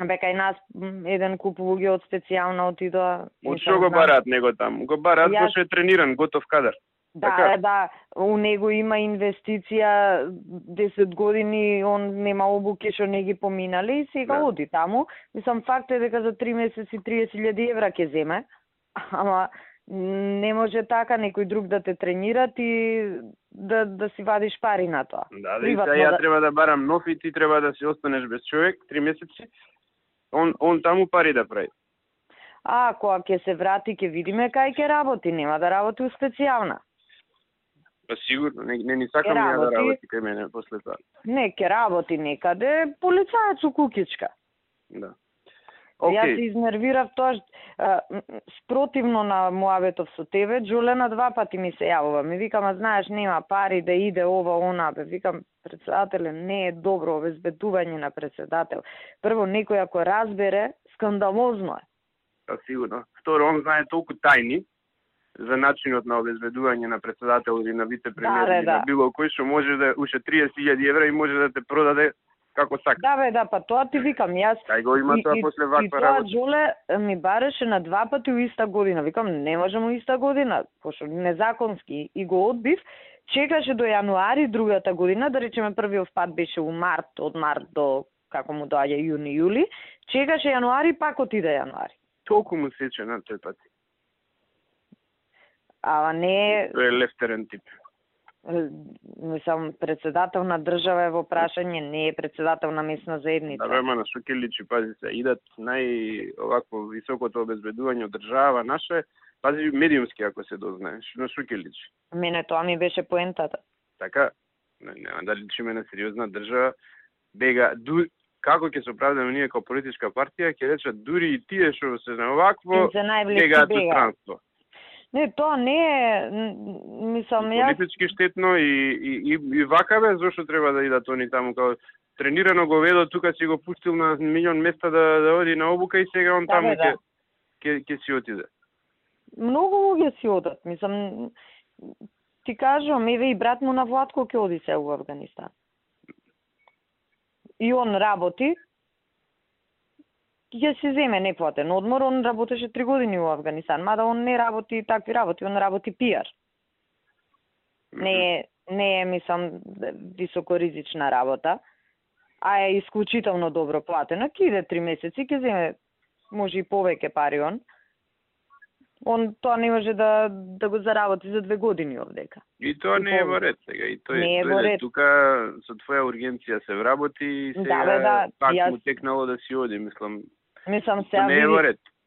Бека и нас еден куп луѓе од специјална отидоа. Од што го бараат него таму? Го бараат пошто е трениран, готов кадар. Да, да, у него има инвестиција 10 години, он нема обуки што не ги поминале и сега оди таму. Мислам, факт е дека за 3 месеци 30.000 евра ќе земе, ама не може така некој друг да те тренират и да си вадиш пари на тоа. Да, да, и сега ја треба да барам нов и ти треба да си останеш без човек 3 месеци. Он таму пари да прави. Кога ќе се врати, ќе видиме кај ќе работи, нема да работи у специјална. Па сигурно, не ни сакам ја да работи кај мене после тоа. Не, ќе работи некаде, полицаец у кукичка. Да. Јас се изнервирав тоа, спротивно на муабетов со тебе, Джулена 2 пати ми се јавува. Ми викам, знаеш, нема пари да иде ова, она, бе, викам, председателе, не е добро обезбедување на председател. Прво, некој ако разбере, скандалозно е. Да, сигурно. Второ, он знае толку тајни за начинот на обезбедување на председател или на вице-премиер или на било кој што може да уште 30.000 евра и може да те продаде како сака. Да, па тоа ти викам, јас. Кај го има тоа после ваква работа. И тоа Джоле ми бареше на 2 пати у иста година. Викам, не можам у иста година, пошто незаконски и го одбив. Чекаше до јануари другата година, да речеме првиот пат беше у март, од март до како му доаѓа јуни, јули. Чекаше јануари, пак отиде јануари. Толку му сече на тој пат. Ама не... Тој е лефтерен тип. Мислам, председател на држава е во прашање, не е председател на месна заедница. Да, на што ќе личи, пази се, идат овакво високото обезбедување од држава наше, пази медиумски ако се дознаеш, на што ќе личи. Мене тоа ми беше поентата. Така, нема да личиме на сериозна држава, бега, како ќе се оправдаме ние како политичка партија, ќе речат дури и тие што се на овакво, бегаат од странство. Не, тоа не е, мислам, политички штетно и вака бе, зошто треба да идат они таму, као тренирано го ведо, тука си го пустил на милион места да оди на обука и сега он таму ќе си отиде. Многу луѓе си одат, мислам, ти кажувам, еве и брат му на Владко ќе оди се во Авганистан. И он работи, ќе се земе неплатен одмор, он работеше 3 години во Авганистан, мада он не работи такви работи, он работи пиар. Не е, мислам, високоризична работа, а е исклучително добро платена. Ке иде 3 месеци, ќе земе, може и повеќе пари он. Он тоа не може да го заработи за 2 години овдека. И тоа не е во ред сега. И тој тука со твоја ургенција се вработи и сега пак му текнало да си оди, мислам сега не е во ред.